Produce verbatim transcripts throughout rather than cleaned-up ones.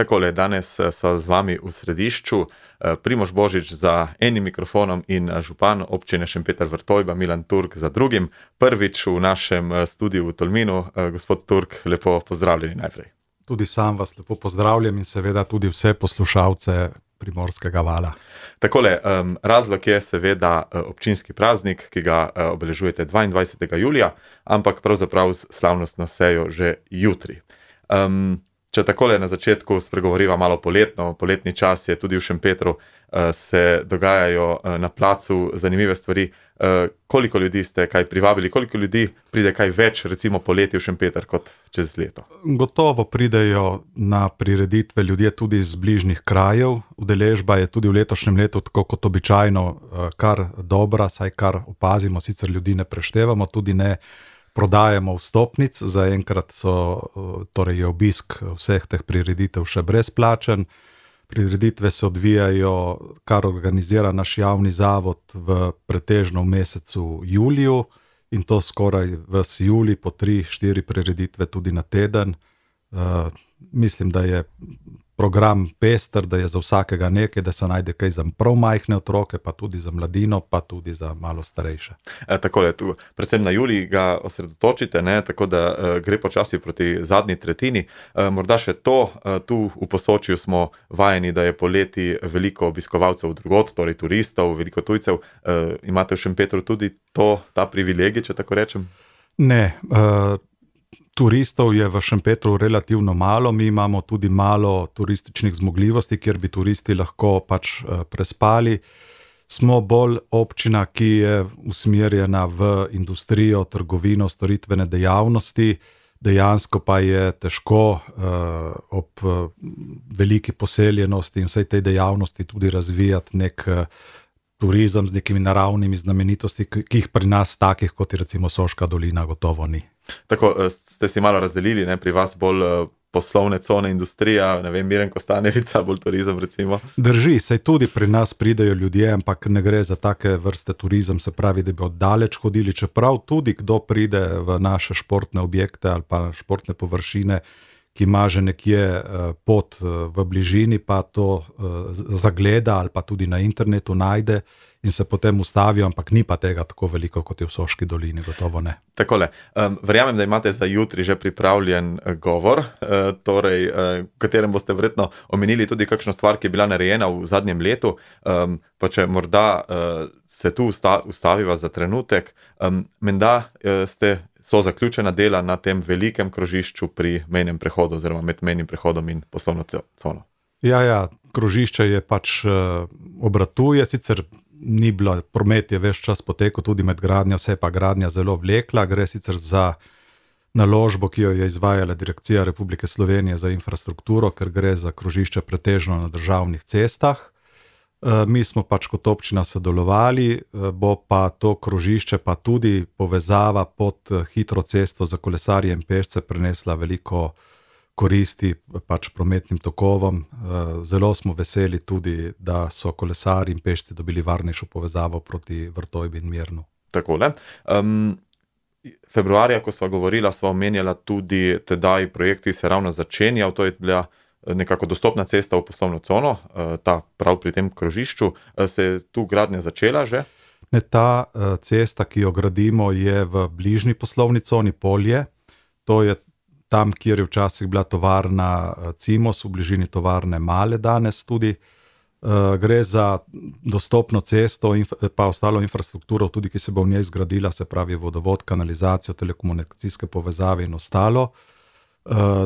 Takole, danes so z vami v središču Primož Božič za enim mikrofonom in župan občine Šempeter-Vrtojba Milan Turk za drugim. Prvič v našem studiu v Tolminu. Gospod Turk, lepo pozdravljeni najprej. Tudi sam vas lepo pozdravljam in seveda tudi vse poslušalce Primorskega vala. Takole, razlog je seveda občinski praznik, ki ga obeležujete dvaindvajsetega julija, ampak pravzaprav s slavnostno sejo že jutri. Um, Če takole na začetku spregovoriva malo poletno, poletni čas je tudi v Šempetru, se dogajajo na placu zanimive stvari. Koliko ljudi ste kaj privabili, koliko ljudi pride kaj več recimo poleti v Šempeter kot čez leto? Gotovo pridejo na prireditve ljudje tudi iz bližnjih krajev. Udeležba je tudi v letošnjem letu, tako kot običajno, kar dobra, saj kar opazimo, sicer ljudi ne preštevamo, tudi ne prodajamo vstopnic, zaenkrat so, torej je obisk vseh teh prireditev še brezplačen. Prireditve se odvijajo, kar organizira naš javni zavod v pretežno v mesecu juliju in to skoraj ves julij, po tri, štiri prireditve tudi na teden. Uh, mislim, da je program pester, da je za vsakega nekaj, da se najde kaj za prav majhne otroke, pa tudi za mladino, pa tudi za malo starejše. E, takole, tu, predvsem na julij ga osredotočite, ne, tako da e, gre počasi proti zadnji tretjini. E, morda še to, e, tu v Posočju smo vajeni, da je poleti veliko obiskovalcev drugod, torej turistov, veliko tujcev. E, imate v Šempetru tudi to, ta privilegij, če tako rečem? Ne, uh... Turistov je v Šempetru relativno malo, mi imamo tudi malo turističnih zmogljivosti, kjer bi turisti lahko pač prespali. Smo bolj občina, ki je usmerjena v industrijo, trgovino, storitvene dejavnosti, dejansko pa je težko uh, ob uh, veliki poseljenosti in vsej tej dejavnosti tudi razvijati nek uh, turizem z nekimi naravnimi znamenitosti, ki jih pri nas takih, kot je recimo Soška dolina, gotovo ni. Tako ste si malo razdelili, ne, pri vas bolj poslovne cone, industrija, ne vem, Miren Kostanjevica, bolj turizem recimo. Drži, saj tudi pri nas pridejo ljudje, ampak ne gre za take vrste turizem, se pravi, da bi oddaleč hodili, čeprav tudi kdo pride v naše športne objekte ali pa športne površine, ki ima že nekje pot v bližini, pa to zagleda ali pa tudi na internetu najde in se potem ustavijo, ampak ni pa tega tako veliko, kot je v Soški dolini, gotovo ne. Takole, um, verjamem, da imate za jutri že pripravljen govor, uh, torej, uh, v katerem boste verjetno omenili tudi kakšno stvar, ki je bila narejena v zadnjem letu, um, pa če morda uh, se tu usta, ustaviva za trenutek, um, menda uh, ste so zaključena dela na tem velikem krožišču pri mejnem prehodu oziroma med mejnim prehodom in poslovno cono. Ja, ja, krožišče je pač uh, obratuje, sicer ni bilo, promet je ves čas potekal tudi med gradnjo, se je pa gradnja zelo vlekla, gre sicer za naložbo, ki jo je izvajala Direkcija Republike Slovenije za infrastrukturo, ker gre za krožišče pretežno na državnih cestah. Mi smo pač kot občina sodelovali, bo pa to krožišče pa tudi povezava pod hitro cesto za kolesarje in pešce prinesla veliko koristi pač prometnim tokovom. Zelo smo veseli tudi, da so kolesarji in pešci dobili varnejšo povezavo proti Vrtojbi in Mirnu. Takole. Um, februarja, ko sva govorila, sva omenjala tudi tedaj projekt, ki se ravno začenjal, to je bila nekako dostopna cesta v poslovno cono, ta prav pri tem krožišču. Se je tu gradnja začela že? Ne, ta cesta, ki jo gradimo, je v bližnji poslovni coni Polje. To je tam, kjer je včasih bila tovarna Cimos, v bližini tovarne Male danes tudi. Gre za dostopno cesto in pa ostalo infrastrukturo, tudi ki se bo v njej zgradila, se pravi vodovod, kanalizacijo, telekomunikacijske povezave in ostalo.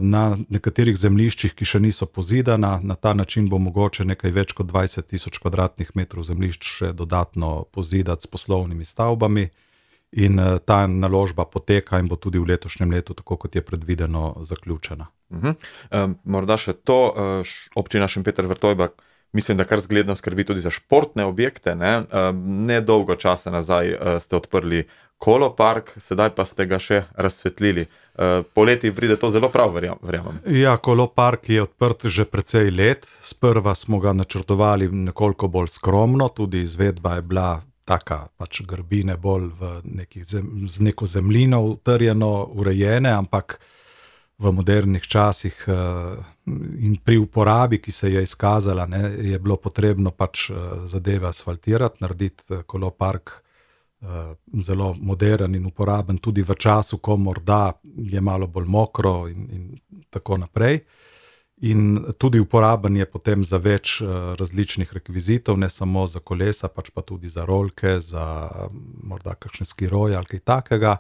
Na nekaterih zemljiščih, ki še niso pozidana, na ta način bo mogoče nekaj več kot dvajset tisoč kvadratnih metrov zemljišč še dodatno pozidati s poslovnimi stavbami. In ta naložba poteka in bo tudi v letošnjem letu, tako kot je predvideno, zaključena. Uh-huh. Um, morda še to, občina Šempeter-Vrtojba, mislim, da kar zgledno skrbi tudi za športne objekte, ne? Um, ne dolgo časa nazaj uh, ste odprli kolopark, sedaj pa ste ga še razsvetlili. Uh, poleti pride to zelo prav, verjamem. Ja, kolopark je odprt že precej let. Sprva smo ga načrtovali nekoliko bolj skromno, tudi izvedba je bila taka pač grbine bolj v nekih zem, z neko zemljino utrjeno, urejene, ampak v modernih časih in pri uporabi, ki se je izkazala, ne, je bilo potrebno pač zadeve asfaltirati, narediti kolopark zelo moderen in uporaben tudi v času, ko morda je malo bolj mokro in, in tako naprej. In tudi uporaben je potem za več različnih rekvizitov, ne samo za kolesa, pač pa tudi za rolke, za morda kakšne skiroje ali kaj takega.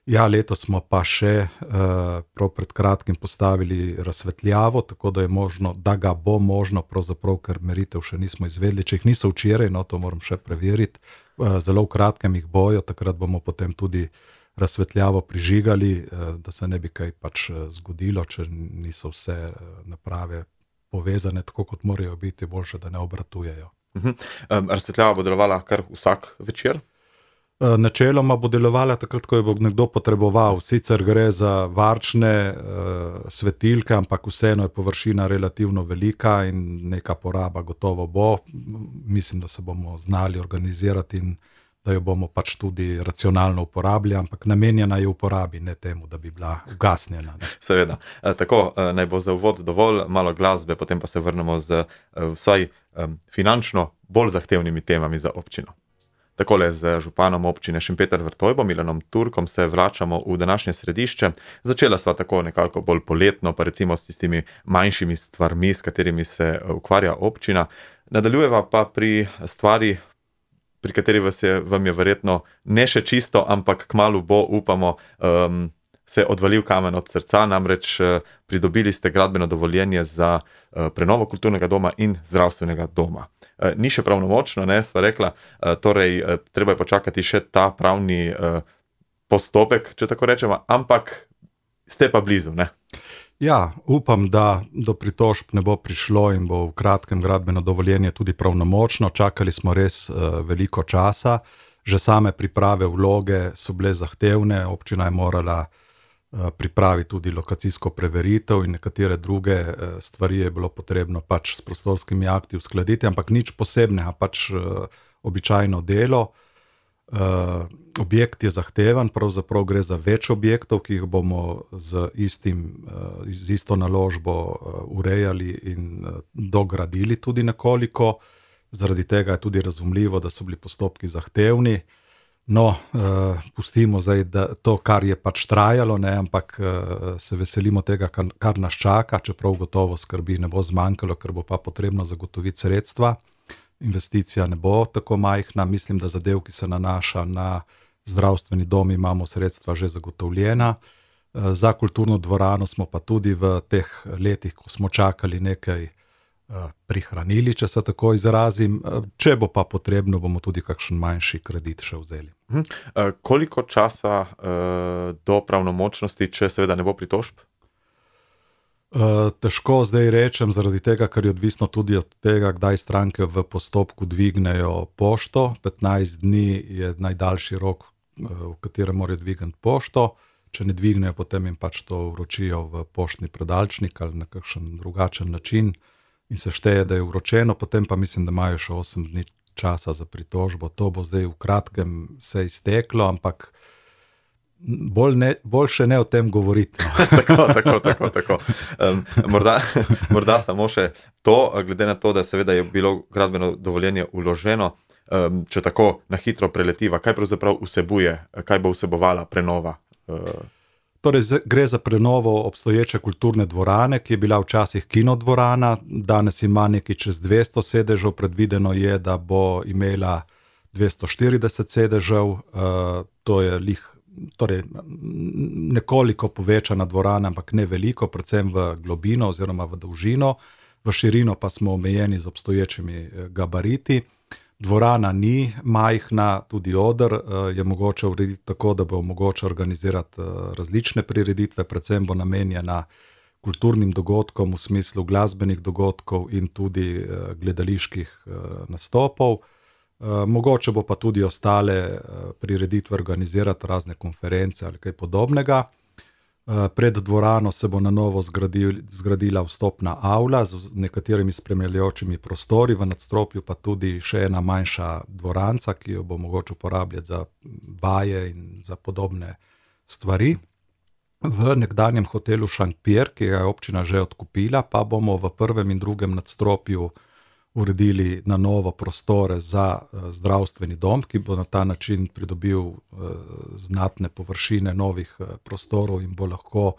Ja, letos smo pa še prav pred kratkim postavili razsvetljavo, tako da je možno, da ga bo možno, pravzaprav, ker meritev še nismo izvedli, če jih niso včeraj, no to moram še preveriti, zelo v kratkem jih bojo, takrat bomo potem tudi razsvetljavo prižigali, da se ne bi kaj pač zgodilo, če niso vse naprave povezane tako, kot morajo biti, boljše, da ne obratujejo. Uh-huh. Um, razsvetljava bo delovala kar vsak večer? Načeloma bo delovala takrat, ko jo bo nekdo potreboval. Sicer gre za varčne uh, svetilke, ampak vseeno je površina relativno velika in neka poraba gotovo bo. Mislim, da se bomo znali organizirati in da jo bomo pač tudi racionalno uporabljali, ampak namenjena je uporabi, ne temu, da bi bila ugasnjena. Ne? Seveda. E, tako, e, naj bo za uvod dovolj, malo glasbe, potem pa se vrnemo z e, vsaj e, finančno bolj zahtevnimi temami za občino. Takole z županom občine Šempeter-Vrtojbo, Milanom Turkom, se vračamo v današnje središče. Začela sva tako nekako bolj poletno, pa recimo s tistimi manjšimi stvarmi, s katerimi se ukvarja občina. Nadaljujeva pa pri stvari, pri kateri vas je, vam je verjetno ne še čisto, ampak kmalu bo, upamo, um, se odvalil kamen od srca, namreč uh, pridobili ste gradbeno dovoljenje za uh, prenovo kulturnega doma in zdravstvenega doma. Uh, ni še pravnomočno, ne, sva rekla, uh, torej uh, treba je počakati še ta pravni uh, postopek, če tako rečemo, ampak ste pa blizu, ne? Ja, upam, da do pritožb ne bo prišlo in bo v kratkem gradbeno dovoljenje tudi pravnomočno. Čakali smo res uh, veliko časa. Že same priprave vloge so bile zahtevne. Občina je morala uh, pripraviti tudi lokacijsko preveritev in nekatere druge uh, stvari je bilo potrebno pač s prostorskimi akti uskladiti, ampak nič posebnega, pač uh, običajno delo. Uh, objekt je zahteven, pravzaprav gre za več objektov, ki jih bomo z, istim, uh, z isto naložbo uh, urejali in uh, dogradili tudi nekoliko. Zaradi tega je tudi razumljivo, da so bili postopki zahtevni. No, uh, pustimo zdaj da to, kar je pač trajalo, ne, ampak uh, se veselimo tega, kar, kar nas čaka, čeprav gotovo skrbi ne bo zmanjkalo, ker bo pa potrebno zagotoviti sredstva. Investicija ne bo tako majhna, mislim, da zadev, ki se nanaša na zdravstveni dom, imamo sredstva že zagotovljena. Za kulturno dvorano smo pa tudi v teh letih, ko smo čakali, nekaj prihranili, če se tako izrazim. Če bo pa potrebno, bomo tudi kakšen manjši kredit še vzeli. Hmm. Koliko časa do pravnomočnosti, če seveda ne bo pritožb? Uh, težko zdaj rečem, zaradi tega, ker je odvisno tudi od tega, kdaj stranke v postopku dvignejo pošto. petnajst dni je najdaljši rok, v katerem morajo dvigniti pošto. Če ne dvignejo, potem jim pač to vročijo v poštni predalčnik ali na kakšen drugačen način in se šteje, da je vročeno, potem pa mislim, da imajo še osem dni časa za pritožbo. To bo zdaj v kratkem se izteklo, ampak Bolj, ne, bolj še ne o tem govoriti. No. tako, tako, tako. tako. Um, morda, morda samo še to, glede na to, da seveda je bilo gradbeno dovoljenje vloženo, um, če tako na hitro preletiva, kaj pravzaprav vsebuje, kaj bo vsebovala prenova? Uh... Torej, gre za prenovo obstoječe kulturne dvorane, ki je bila včasih kinodvorana, danes ima nekaj čez dvesto sedežev, predvideno je, da bo imela dvesto štirideset sedežev, uh, to je lih Torej, nekoliko povečana dvorana, ampak ne veliko, predvsem v globino oziroma v dolžino, v širino pa smo omejeni z obstoječimi gabariti. Dvorana ni majhna, tudi oder je mogoče urediti tako, da bo mogoče organizirati različne prireditve, predvsem bo namenjena kulturnim dogodkom v smislu glasbenih dogodkov in tudi gledaliških nastopov. Uh, mogoče bo pa tudi ostale uh, prireditve organizirati, razne konference ali kaj podobnega. Uh, pred dvorano se bo na novo zgradil, zgradila vstopna avla z nekaterimi spremljajočimi prostori, v nadstropju pa tudi še ena manjša dvoranca, ki jo bo mogoče uporabljati za vaje in za podobne stvari. v nekdanjem hotelu Šentpir, ki ga je občina že odkupila, pa bomo v prvem in drugem nadstropju uredili na novo prostore za zdravstveni dom, ki bo na ta način pridobil znatne površine novih prostorov in bo lahko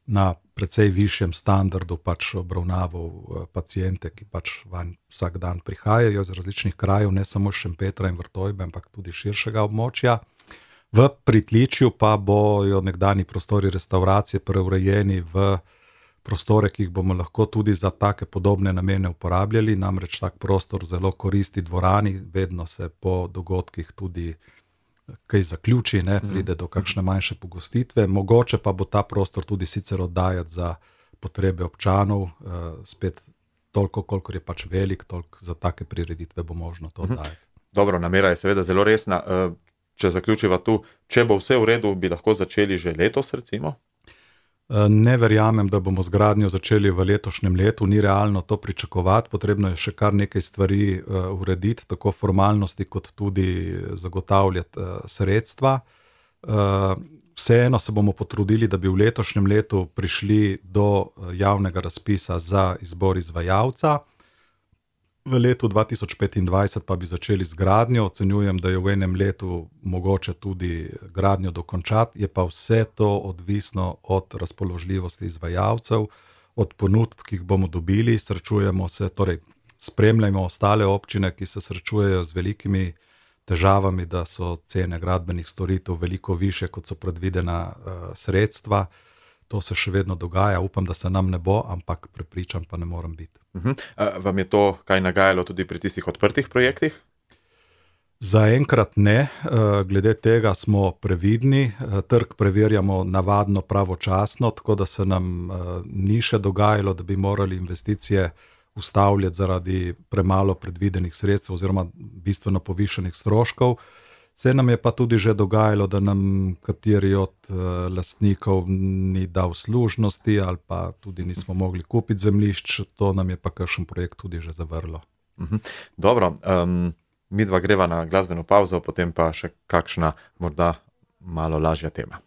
na precej višjem standardu pač obravnaval paciente, ki pač vanj vsak dan prihajajo iz različnih krajev, ne samo Šempetra in Vrtojbe, ampak tudi širšega območja. V pritličju pa bojo nekdani prostori restauracije preurejeni v prostore, ki jih bomo lahko tudi za take podobne namene uporabljali, namreč tak prostor zelo koristi dvorani, vedno se po dogodkih tudi kaj zaključi, ne, pride do kakšne manjše pogostitve, mogoče pa bo ta prostor tudi sicer oddajati za potrebe občanov, spet toliko, kolikor je pač velik, toliko za take prireditve bo možno to oddajati. Dobro, namera je seveda zelo resna. Če zaključiva tu, če bo vse v redu, bi lahko začeli že letos, recimo? Ne verjamem, da bomo z gradnjo začeli v letošnjem letu, ni realno to pričakovati, potrebno je še kar nekaj stvari urediti, tako formalnosti kot tudi zagotavljati sredstva. Vseeno se bomo potrudili, da bi v letošnjem letu prišli do javnega razpisa za izbor izvajalca. V letu dva tisoč petindvajset pa bi začeli z gradnjo, ocenjujem, da je v enem letu mogoče tudi gradnjo dokončati, je pa vse to odvisno od razpoložljivosti izvajalcev, od ponudb, ki jih bomo dobili, srečujemo se, torej spremljamo ostale občine, ki se srečujejo z velikimi težavami, da so cene gradbenih storitev veliko višje, kot so predvidena uh, sredstva. To se še vedno dogaja, upam, da se nam ne bo, ampak prepričan pa ne morem biti. Uh-huh. Vam je to kaj nagajalo tudi pri tistih odprtih projektih? Zaenkrat ne, glede tega smo previdni, trg preverjamo navadno pravočasno, tako da se nam ni še dogajalo, da bi morali investicije ustavljati zaradi premalo predvidenih sredstev oziroma bistveno povišanih stroškov. Se nam je pa tudi že dogajalo, da nam kateri od uh, lastnikov ni dal služnosti ali pa tudi nismo mogli kupiti zemljišč, to nam je pa kakšen projekt tudi že zavrlo. Uh-huh. Dobro, um, midva greva na glasbeno pavzo, potem pa še kakšna morda malo lažja tema.